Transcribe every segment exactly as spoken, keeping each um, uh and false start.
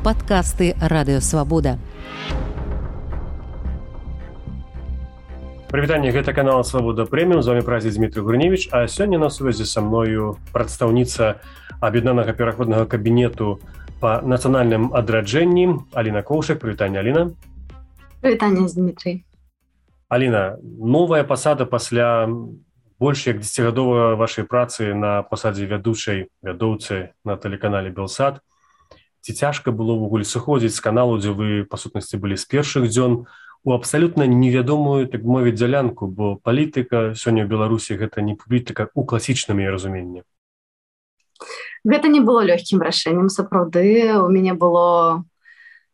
Падкасты Радыёвабода. Прывітанне, гэта канал Свабода Прэміум, з вами праздзе Дмітрий Гурневич, а сёння на сувязі са мною прадстаўніца аб'яднанага пераходнага кабінету па нацыянальным адраджэнні Аліна Коўшак. Прывітанне, Аліна. Прывітанне, Дмітрий. Аліна, новая пасада пасля больш як дзесяцігадовай вашай працы на пасадзе вядучай вядоўцы на тэлеканале Белсат. Ці цяжка было ўвогуле сыходзіць з каналу, дзе вы, па сутнасці, былі з першых дзён, у абсалютна невядомую, так мовіць, дзялянку, бо палітыка сёння ў Беларусі гэта не палітыка ў класічным яе разуменні. Гэта не было лёгкім рашэннем, сапраўды. У мяне было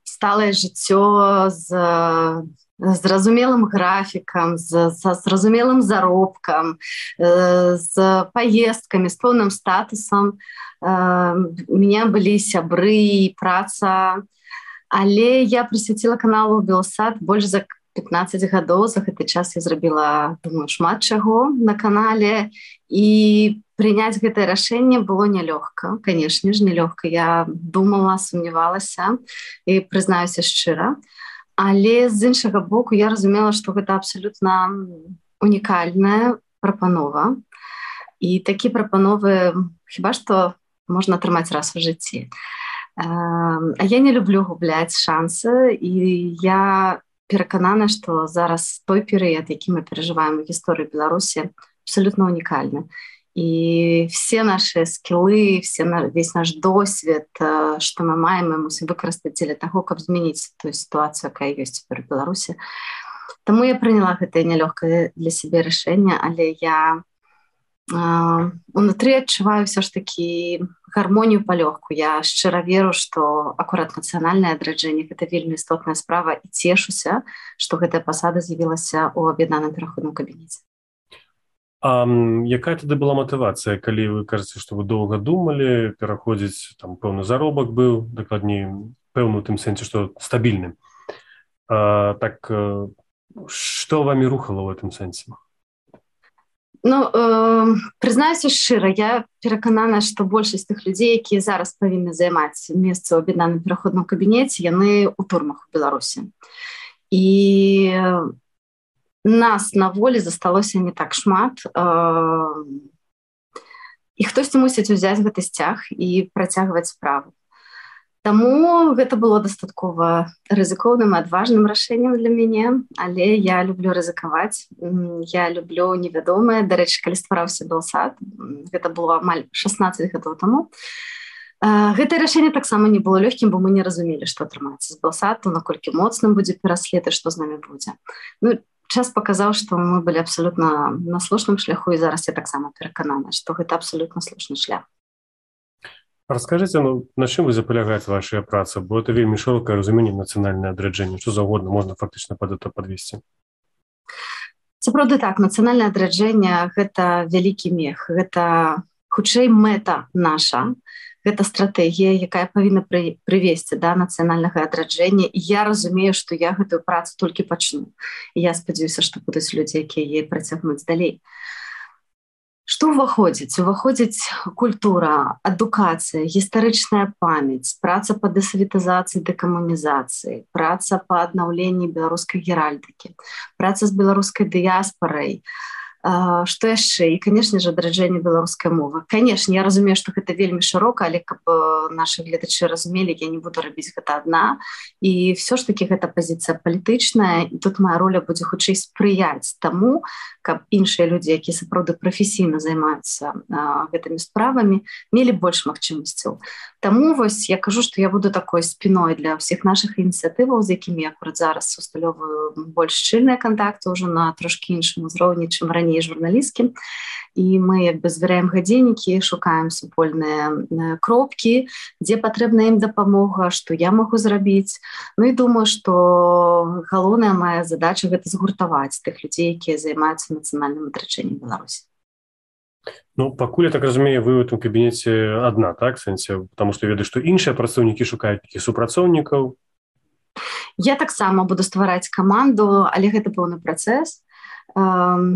сталае жыццё з зразумелым графікам, з, з зразумелым заробкам, з паездкамі, з поўным статусам. У меня былі сябры, праца. Але я прысвяціла каналу Белсат больш за пятнаццаць гадоў. За гэты час я зрабіла, думаю, шмат чаго на канале. І прыняць гэтае рашэнне было нялёгка. Канешне ж, нялёгка. Я думала, сумнявалася і прызнаюся шчыра. Але з іншага боку я разумела, што гэта абсалютна унікальная прапанова. І такі прапановы хіба што можна атрымаць раз у жыцці. А я не люблю губляць шансы, і я пераканана, што зараз той перыяд, які мы перажываем у гісторыі Беларусі, абсалютна унікальны. І все наши скілы, все, весь наш досвед, што мы маем, мы мусім выкарыстаць дзеля таго, каб змяніць тую сітуацыю, якая ёсць цяпер у Беларусі. Таму я прыняла гэтае нялёгкае для сябе рашэнне, але я унутры адчуваю ўсё ж такі гармонію палёгку. Я шчыра веру, што акурат нацыянальнае адраджэнне гэта вельмі істотная справа, і цешуся, што гэтая пасада з'явілася ў аб'яднаным пераходным кабінеце. А якая тады была матывацыя, калі вы кажаце, што вы доўга думалі, пераходзіць, там пэўны заробак быў, дакладней, пэўны ў тым сэнсе, што стабільны. А, так, што вамі рухала ў гэтым сэнсе? Ну, э, прызнаюся шчыра, я пераканана, што большасць тых людзей, якія зараз павінны займаць месца ў аб'яднаным пераходным кабінеце, яны ў турмах у Беларусі. І нас на волі засталося не так шмат. Э, і хтосьці мусіць узяць гэты сцяг і працягваць справу. Таму гэта было дастаткова рызыкоўным і адважным рашэннем для мяне, але я люблю рызыкаваць, я люблю невядомае. Дарэчы, калі ствараўся Белсат, гэта было амаль шаснаццаць гадоў таму. Гэтае рашэнне таксама не было лёгкім, бо мы не разумелі, што атрымаецца з Белсату, наколькі моцным будзе пераслед і што з намі будзе. Ну, час паказаў, што мы былі абсалютна на слушным шляху, і зараз я таксама пераканана, што гэта абсалютна слушны шлях. Раскажыце, ну, на чым вы запалягаць вашая праца, бо это вельмі шырокае разуменне нацыянальнае адраджэнне, што заўгодна можна фактычна пад это падвесці. Сапраўды так, нацыянальнае адраджэнне гэта вялікі мех, гэта хутчэй мэта наша, гэта стратэгія, якая павінна пры, прывесці да нацыянальнага адраджэння, і я разумею, што я гэтую працу толькі пачну. І я спадзяюся, што будуць людзі, якія яе працягнуць далей. Што ўваходзіць? Уваходзіць культура, адукацыя, гістарычная памяць, праца па дэсавітызацыі, дэкамунізацыі, праца па аднаўленні беларускай геральдыкі, праца з беларускай дыяспарай. Што яшчэ? І, канешне ж, адраджэнне беларускай мовы. Канешне, я разумею, што гэта вельмі шырока, але каб нашы гледачы разумелі, я не буду рабіць гэта адна. І ўсё ж такі гэта пазіцыя палітычная, і тут моя роля будзе хутчэй спрыяць таму, каб іншыя людзі, якія сапраўды прафесійна займаюцца а, гэтымі справамі, мелі больш магчымасцяў. Таму вось я кажу, што я буду такой спіной для ўсіх нашых ініцыятываў, з якімі я акурат зараз усталёваю больш шчыльныя кантакты ўжо на трошкі іншым узроўні, чым раней журналісткім. І мы як бы збіраем гадзіннікі, шукаем супольныя кропкі, дзе патрэбна ім дапамога, што я магу зрабіць. Ну і думаю, што галоўная моя задача гэта згуртаваць тых людзей, якія займаюцца нацыянальным адраджэннем Беларусі. Ну, пакуль, я так разумею, вы ў гэтым кабінеце адна, так, сэнсе? Потому што ведаю, што іншыя працаўнікі шукаюць такіх супрацоўнікаў. Я таксама буду ствараць каманду, але гэта пэўны працэс.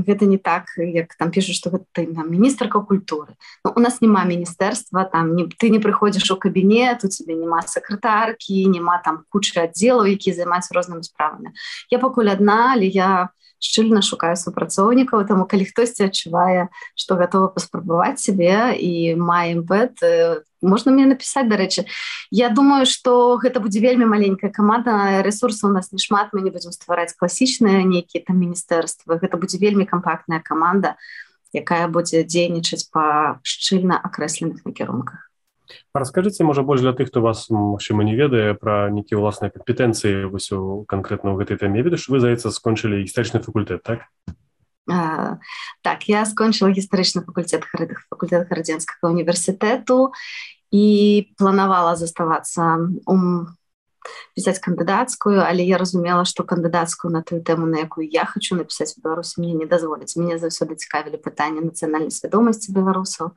гэта не так, як там пішуць, што гэта там міністрка культуры. Ну, у нас няма міністэрства, там не, ты не прыходзіш у кабінет, у цябе няма сакратаркі, няма там кучы аддзелаў, якія займаюцца рознымі справамі. Я пакуль адна, але я шчыльна шукаю супрацоўнікаў, таму калі хтосьці адчувае, што гатова паспрабаваць сябе і мае імпэт, можна мне напісаць, дарэчы. Я думаю, што гэта будзе вельмі маленькая каманда, рэсурсаў у нас не шмат, мы не будзем ствараць класічныя нейкія там міністэрствы, гэта будзе вельмі кампактная каманда, якая будзе дзейнічаць па шчыльна акрэсленых накірунках. Раскажыце, можа, больш для тых, хто вас, магчыма, не ведае пра нейкія ўласныя кампетэнцыі вось у канкрэтна ў гэтай тэме. Я ведаю, што вы, здаецца, скончылі гістарычны факультэт, так? А, так, я скончыла гістарычны факультэт факультэт Гарадзенскага універсітэту і планавала заставацца у пісаць кандыдацкую, але я разумела, што кандыдацкую на тую тэму, на якую я хачу напісаць у Беларусі, мне не дазволяць. Мяне заўсёды цікавілі пытанні нацыянальнай свядомасці беларусаў.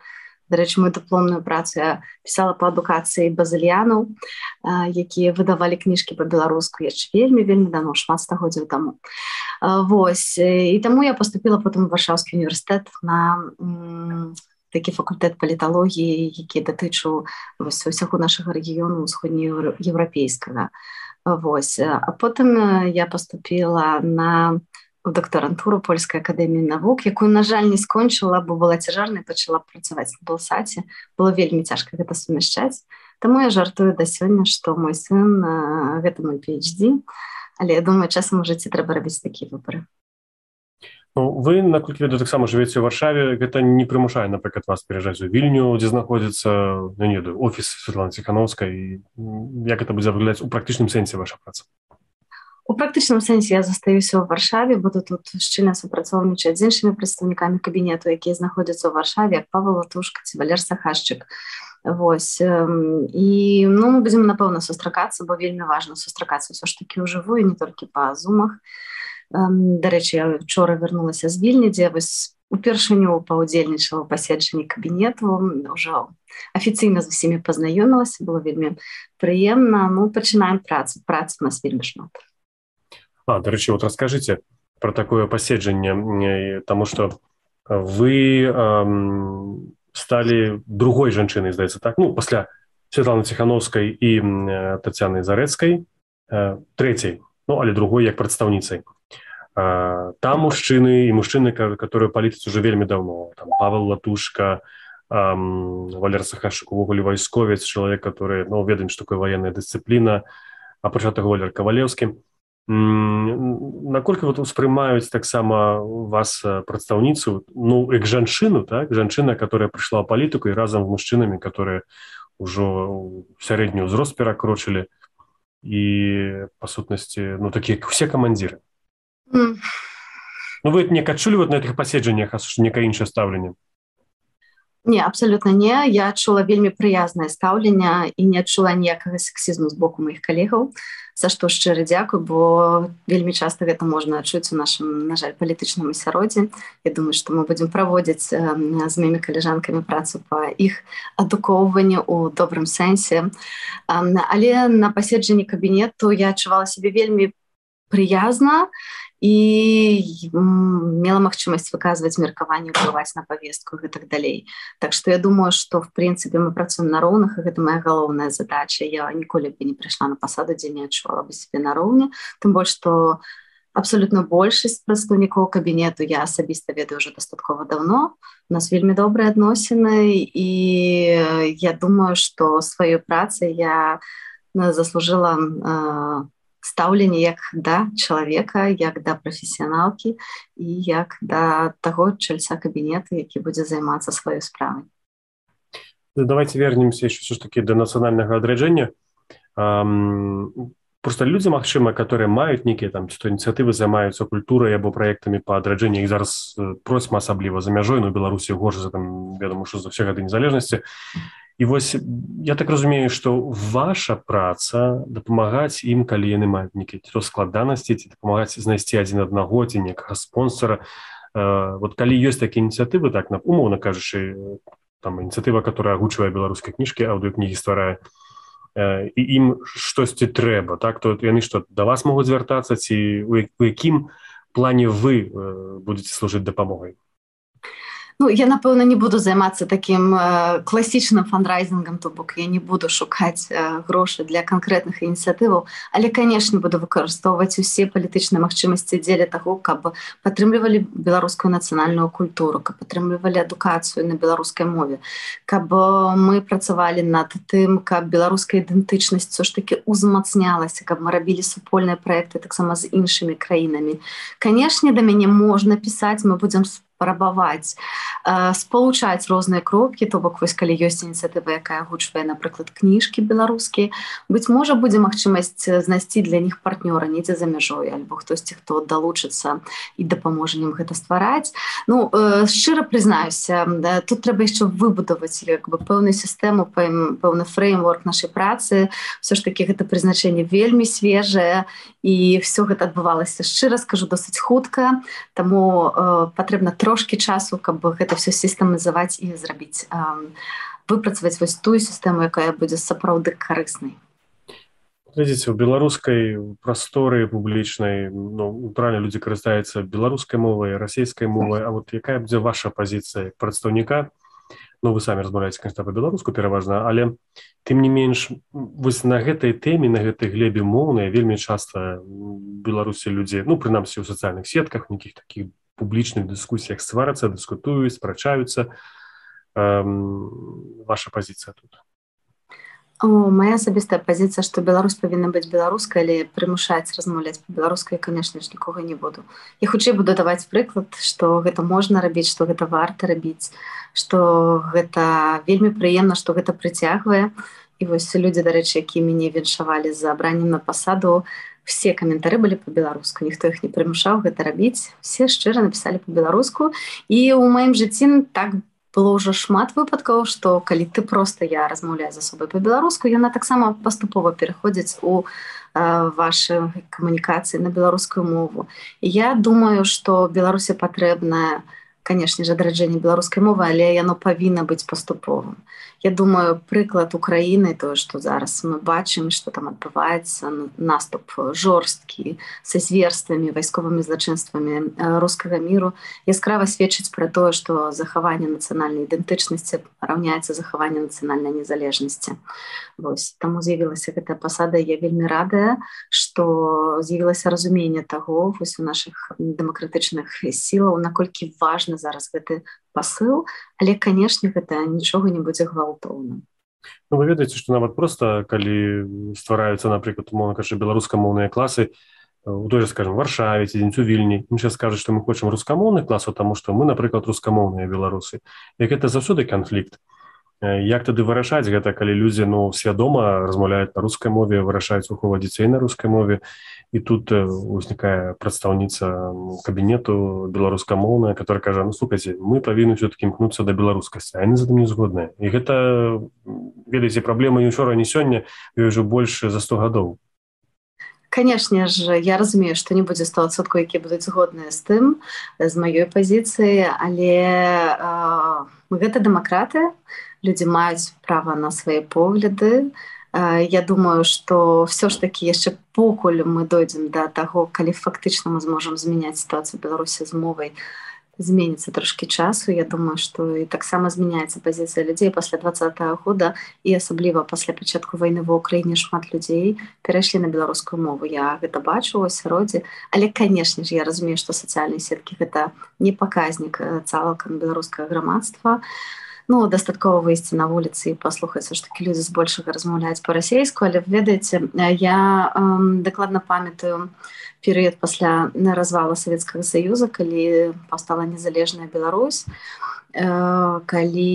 Дарэчы, мою дыпломную працу я пісала па адукацыі базыльянаў, якія выдавалі кніжкі па-беларуску яшчэ вельмі-вельмі давно, шмат стагоддзяў таму. Вось. І таму я паступіла потым у Варшаўскі універсітэт на м, такі факультэт паліталогіі, які датычыў усяго нашага рэгіёну усходнееўрапейскага. Вось. А потым я паступіла на у дактарантуру Польскай акадэміі навук, якую, на жаль, не скончыла, бо была цяжарнай, пачала працаваць на Белсаце. Было вельмі цяжка гэта сумяшчаць. Таму я жартую да сёння, што мой сын — гэта мой пі эйч ді, але я думаю, часам у жыцці трэба рабіць такія выбары. Ну, вы, наколькі ведаю, таксама жывеце ў Варшаве, гэта не прымушае, напрыклад, вас пераязджаць у Вільню, дзе знаходзіцца, ну, не ведаю, офіс Святланы Ціханаўскай, як гэта будзе выглядаць у практычным сэнсе ваша праца? У практычным сэнсе я застаюся ў Варшаве, буду тут шчыльна супрацоўнічаць з іншымі прадстаўнікамі кабінету, якія знаходзяцца ў Варшаве, як Павел Латушка ці Валер Сахашчык. Вось. І ну, мы будзем, напэўна, сустракацца, бо вельмі важна сустракацца ўсё ж такі ўжывую, не толькі па зумах. Дарэчы, я вчора вярнулася з Вільні, дзе вось упершыню паўдзельнічала ў паседжанні кабінету, ўжо афіцыйна з усімі пазнаёмілася, было вельмі прыемна. Ну, пачынаем працу, працы у нас вельмі шмат. А, дарэчы, вот раскажыце пра такое паседжанне, таму што вы эм, сталі другой жанчынай, здаецца, так? Ну, пасля Святланы Ціханаўскай і Тацяны Зарэцкай, э, трэцяй, ну, але другой як прадстаўніцай. Э, там мужчыны і мужчыны, которые палітыцы уже вельмі даўно. Там Павел Латушка, эм, Валер Сахашчык, увогуле вайсковец, чалавек, который, ну, ведаем, што такое ваенная дысцыпліна, а пачатак Валер Кавалеўскі. Наколькі вот успрымаюць таксама вас прадстаўніцу, ну, як жанчыну, так, жанчына, которая прыйшла ў палітыку і разам з мужчынамі, которые ўжо сярэдні ўзрост перакрочылі і, па сутнасці, ну, такія, як усе камандзіры. Mm. Ну, вы не адчулі вот на гэтых паседжаннях, а некае іншае стаўленне? Не, абсолютно не. Я адчула вельмі прыязнае стаўленне і не адчула ніякага сексізму з боку маіх калегаў, за што шчыра дзякую, бо вельмі часта гэта можна адчуць у нашым, на жаль, палітычным асяроддзі. Я думаю, што мы будзем праводзіць з маімі калежанкамі працу па іх адукоўванню ў добрым сэнсе. Але на паседжанні кабінету я адчувала сябе вельмі прыязна і мела магчымасць выказваць меркаванне, ўплываць на павестку і гэтак далей. Так што я думаю, што в прынцыпе мы працуем на роўных, і гэта моя галоўная задача. Я ніколі бы не прыйшла на пасаду, дзе не адчувала бы сябе на роўні, тым больш, што абсолютно большасць прадстаўнікоў кабінету я асабіста ведаю ўжо дастаткова даўно. У нас вельмі добрыя адносіны, і я думаю, што сваёй працай я заслужыла стаўленне як да чалавека, як да прафесіяналкі і як да таго чальца кабінета, які будзе займацца сваёй справай. Давайте вернемся еще все ж таки до нацыянальнага адраджэння. Просто людзі, магчыма, которые маюць нейкія там ці то ініцыятывы, займаюцца культурай або праектамі па адраджэнні, іх зараз процьма асабліва за мяжой, ну, Беларусі горш за там, вядома, што за ўсе гады незалежнасці. І вось я так разумею, што ваша праца дапамагаць ім, калі яны маюць нейкія ці то складанасці, ці дапамагаць знайсці адзін аднаго, ці некага спонсора. Вот калі ёсць такія ініцыятывы, так, умоўна кажучы, там ініцыятыва, которая агучвае беларускай кніжкі, аўдыёкнігі стварае, і ім штосьці трэба, так, то яны што, да вас могуць звяртацца, ці у якім плане вы будете служыць дапамогай? Ну, я, напэўна, не буду займацца такім э, класічным фандрайзінгам, то бок я не буду шукаць э, грошы для канкрэтных ініцыятываў, але, канешне, буду выкарыстоўваць усе палітычныя магчымасці дзеля таго, каб падтрымлівалі беларускую нацыянальную культуру, каб падтрымлівалі адукацыю на беларускай мове, каб мы працавалі над тым, каб беларуская ідэнтычнасць ўсё ж такі узмацнялася, каб мы рабілі супольныя праекты таксама з іншымі краінамі. Канешне, да мяне можна пісаць, мы будзем спрабаваць э, спалучаць розныя кропкі, то бок вось калі ёсць ініцыятыва, якая агучвае, напрыклад, кніжкі беларускія, быць можа, будзе магчымасць знайсці для них партнёра недзе за мяжой, альбо хтосьці, хто далучыцца і дапаможа ім гэта ствараць. Ну, э, шчыра прызнаюся, да, тут трэба яшчэ выбудаваць як бы пэўную сістэму, пэўны фреймворк нашай працы. Всё ж такі гэта прызначэнне вельмі свежае, і все гэта адбывалася, шчыра скажу, досыць хутка, таму э, патрэбна трошки часу, каб гэта все сістэмазаваць і зрабіць, выпрацаваць вось тую сістэму, якая будзе сапраўды карыснай. Глядзіце, у беларускай прасторы публічнай, ну, правильно, людзі карыстаюцца беларускай мовай, расійскай мовай, а вот якая будзе ваша пазіцыя як прадстаўніка? Ну, вы самі размаўляеце, конечно, па-беларуску пераважна, але тым не менш, вось на гэтай тэме, на гэтай глебе моўнай вельмі часта беларусі людзі, ну, прынамсі ў сацыяльных сетках, нейкіх такіх публічных дыскусіях сварацца, дыскутуюць, спрачаюцца. Эм, ваша пазіцыя тут? О, моя асабістая пазіцыя, што Беларусь павінна быць беларускай, але прымушаць размаўляць па-беларускай, канешне ж, нікога не буду. Я хутчэй буду даваць прыклад, што гэта можна рабіць, што гэта варта рабіць, што гэта вельмі прыемна, што гэта прыцягвае. І вось людзі, дарэчы, якія мяне віншавалі за абраннем на пасаду, все каментары былі па-беларуску, ніхто іх не прымушаў гэта рабіць, все шчыра напісалі па-беларуску. І ў маім жыцці так было ўжо шмат выпадкаў, што калі ты проста я размаўляю з асобай па-беларуску, яна таксама паступова пераходзіць у э, вашы камунікацыі на беларускую мову. І я думаю, што Беларусі патрэбна, канешне ж, адраджэнне беларускай мовы, але яно павінна быць паступовым. Я думаю, прыклад Украіны, тое, што зараз мы бачым, што там адбываецца наступ жорсткі са зверствамі, вайсковымі злачынствамі рускага міру, яскрава сведчыць пра тое, што захаванне нацыянальнай ідэнтычнасці раўняецца захаванню нацыянальнай незалежнасці. Вось, таму з'явілася гэтая пасада, я вельмі радая, што з'явілася разуменне таго вось у нашых дэмакратычных сілаў, наколькі важна зараз гэты пасыл, але, канешне, гэта нічога не будзе гвалтоўным. Ну, вы ведаеце, што нават проста, калі ствараюцца, напрыклад, умоўна кажучы, беларускамоўныя класы, у той же, скажем, Варшаве, ці дзень у Вільні, ім зараз кажуць, што мы хочам рускамоўных класаў, таму што мы, напрыклад, рускамоўныя беларусы. І гэта заўсёды канфлікт. Як тады вырашаць гэта, калі людзі, ну, свядома размаўляюць на рускай мове, вырашаюць выхоўваць дзяцей на рускай мове, і тут узнікае прадстаўніца кабінету беларускамоўная, которая кажа, ну, слухайце, мы павінны ўсё-такі імкнуцца да беларускасці, а яны за тым не згодныя. І гэта, ведаеце, праблема не ўчора, не сёння, ёй ужо больш за сто гадоў. Канешне ж, я разумею, што не будзе сто адсоткаў, якія будуць згодныя з тым, з маёй пазіцыі, але э, гэта дэмакраты, людзі маюць права на свае погляды. Э, я думаю, што ўсё ж такі яшчэ покуль мы дойдзем да таго, калі фактычна мы зможам змяняць сітуацыю Беларусі з мовай, зменіцца трошкі часу. Я думаю, што і таксама змяняецца пазіцыя людзей пасля двадцатага года, і асабліва пасля пачатку вайны ва ўкраіне шмат людзей перайшлі на беларускую мову. Я гэта бачу ў асяроддзі, але, канешне ж, я разумею, што сацыяльныя сеткі гэта не паказнік цалкам беларускага грамадства. Ну, дастаткова выйсці на вуліцы і паслухаць, што такі людзі збольшага размаўляюць па-расейску, але, ведаеце, я эм, дакладна памятаю перыяд пасля развала Савецкага Саюза, калі паўстала незалежная Беларусь, э, калі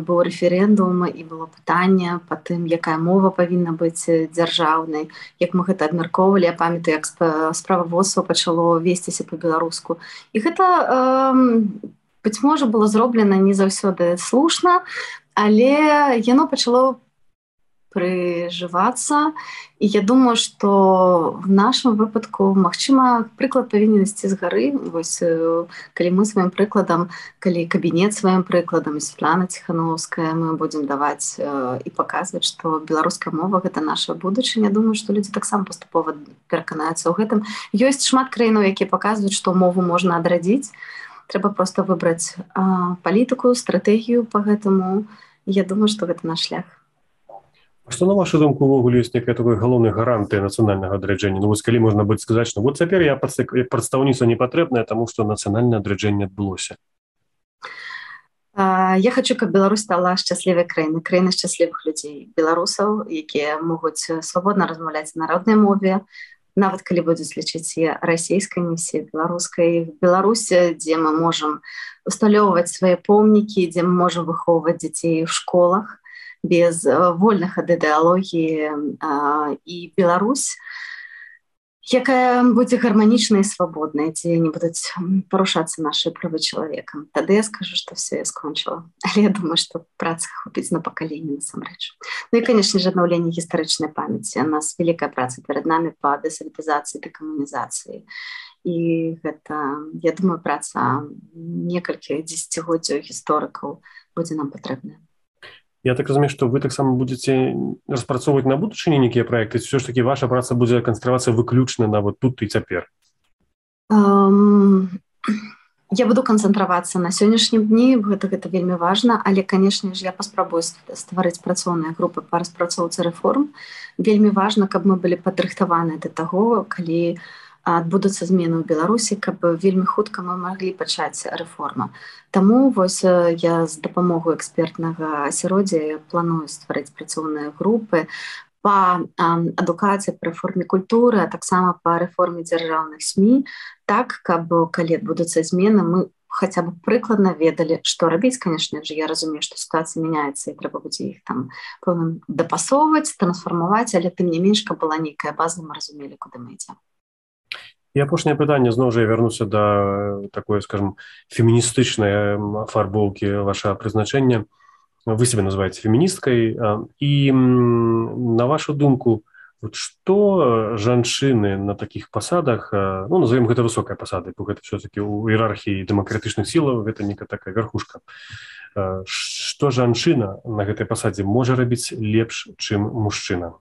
быў рэферэндум і было пытанне па тым, якая мова павінна быць дзяржаўнай, як мы гэта абмяркоўвалі. Я памятаю, як справаводства пачало весціся па-беларуску. І гэта э, быць можа, было зроблена не заўсёды слушна, але яно пачало прыжывацца. І я думаю, што в нашым выпадку, магчыма, прыклад павінен ісці з гары. Вось, калі мы сваім прыкладам, калі кабінет сваім прыкладам, Святлана Ціхановская, мы будзем даваць і паказваць, што беларуская мова — гэта наша будучыня. Думаю, што людзі таксама паступова пераканаюцца ў гэтым. Ёсць шмат краінаў, якія паказваюць, што мову можна адрадзіць. Трэба проста выбраць а, палітыку, стратэгію па гэтаму. Я думаю, што гэта наш шлях. А што, на вашу думку, увогуле ёсць некая такой галоўнай гарантыя нацыянальнага адраджэння? Ну вось калі можна будзе сказаць, што вот цяпер я прадстаўніца не патрэбная, таму што нацыянальнае адраджэнне адбылося. А, я хочу, каб Беларусь стала шчаслівай краінай, краінай шчаслівых людзей, беларусаў, якія могуць свабодна размаўляць на роднай мове, нават калі будуць лічыць расійскай місіяй, беларускай. Беларусь, дзе мы можам усталёўваць свае помнікі, дзе мы можам выхоўваць дзяцей у школах без вольных ад ідэалогіі, і Беларусь, якая будзе гарманічнай і свабоднай, дзе не будуць парушацца нашы правы чалавека. Тады я скажу, што все, я скончыла. Але я думаю, што працы хопіць на пакаленне насамрэч. Ну і, канешне ж, аднаўленне гістарычнай памяці. У нас вялікая праца перад намі па дэсаветызацыі, дэкамунізацыі. І гэта, я думаю, праца некалькі дзесяцігоддзяў гісторыкаў будзе нам патрэбная. Я так разумею, што вы таксама будзеце распрацоўваць на будучыні нейкія праекты, ці ўсё ж такі ваша праца будзе канцэнтравацца выключна на вот тут і цяпер? Um, я буду канцэнтравацца на сённяшнім дні, гэта, гэта вельмі важна, але, канешне ж, я паспрабую стварыць працоўныя групы па распрацоўцы рэформ. Вельмі важна, каб мы былі падрыхтаваныя да таго, калі адбудуцца змены ў Беларусі, каб вельмі хутка мы маглі пачаць рэформа. Таму вось я з дапамогай экспертнага асяроддзя планую стварыць працоўныя групы па адукацыі, па рэформе культуры, а таксама па рэформе дзяржаўных СМІ, так, каб калі адбудуцца змены, мы хаця б прыкладна ведалі, што рабіць. Канешне ж, я разумею, што сітуацыя мяняецца і трэба будзе іх там пэўна дапасоўваць, трансфармаваць, але тым не менш, каб была нейкая база, мы разумелі, куды мы ідзем. І апошняе пытанне, зноў жа я вярнуся да такой, скажем, феміністычнай афарбоўкі вашага прызначэння. Вы сябе называеце феміністкай. І на вашу думку, вот што жанчыны на такіх пасадах, ну, назовем гэта высокай пасадай, бо гэта все-таки ў іерархіі дэмакратычных сілаў, гэта некая такая верхушка. Што жанчына на гэтай пасадзе можа рабіць лепш, чым мужчына?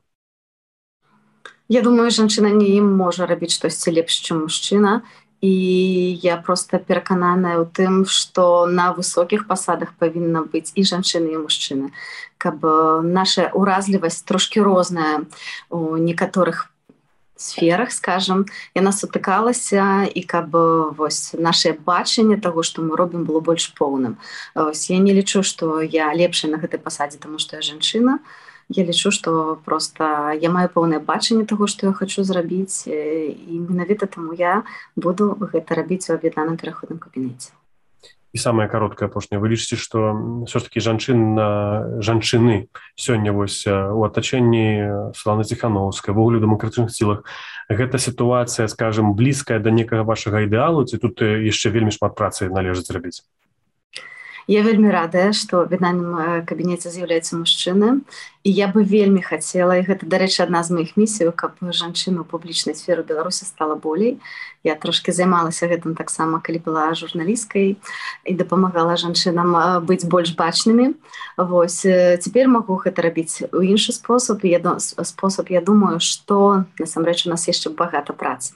Я думаю, жанчына не ім можа рабіць штосьці лепш, чым мужчына. І я проста перакананая ў тым, што на высокіх пасадах павінна быць і жанчыны, і мужчыны. Каб наша ўразлівасць трошкі розная у некаторых сферах, скажам, яна сутыкалася, і каб вось наше бачанне таго, што мы робім, было больш поўным. Ось, я не лічу, што я лепшая на гэтай пасадзе, таму што я жанчына. Я лічу, што проста я маю пэўнае бачанне таго, што я хачу зрабіць, і менавіта таму я буду гэта рабіць у аб'яднаным пераходным кабінеце. І самае кароткае апошняе. Вы лічыце, што ўсё ж такі жанчын, жанчыны сёння вось у атачэнні Святланы Ціхановскай, вогуле ў дэмакратычных сілах, гэта сітуацыя, скажем, блізкая да некага вашага ідэалу, ці тут яшчэ вельмі шмат працы належыць зрабіць? Я вельмі радая, што ў аб'яднаным кабінеце з'яўляецца мужчына, і я бы вельмі хацела, і гэта, дарэчы, адна з маіх місій, каб жанчына ў публічнай сферы ў Беларусі стала болей. Я трошкі займалася гэтым таксама, калі была журналісткай, і дапамагала жанчынам быць больш бачнымі. Вось, цяпер магу гэта рабіць у іншы спосаб, і я, спосаб, я думаю, што, насамрэч, у нас яшчэ багата працы.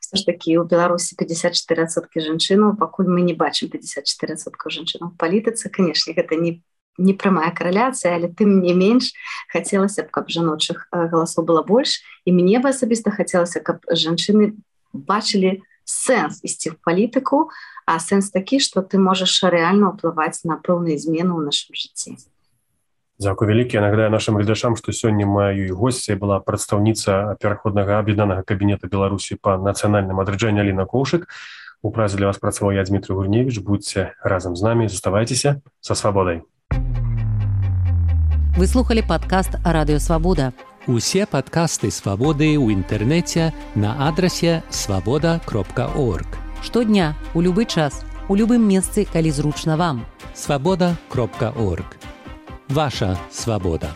Все ж таки у Беларусі пятьдесят четыре адсоткі жанчынаў, пакуль мы не бачым пятьдесят четыре адсоткі жанчынаў у палітыцы. Канешне, гэта не, не прамая караляцыя, але тым не менш хацелася б, каб жаночых галасоў было больш, і мне бы асабіста хацелася, каб жанчыны бачылі сэнс ісці ў палітыку, а сэнс такі, што ты можаш рэальна ўплываць на пэўныя змены ў нашым жыцці. Дзякуй вялікі. Я нагадаю нашым гледачам, што сёння маёй госцяй была прадстаўніца пераходнага аб'яднанага кабінета Беларусі па нацыянальным адраджэнні Аліна Коўшык. У празе для вас працаваў я, Дмітрый Гурневіч. Будьце разам з намі, заставайцеся са свабодай. Вы слухали падкаст Радыё Свабода. Усе падкасты Свабоды ў інтэрнэце на адрасе свабода кропка орг. Штодня, у любы час, у любым месцы, калі зручна вам. свабода кропка орг. Ваша свабода.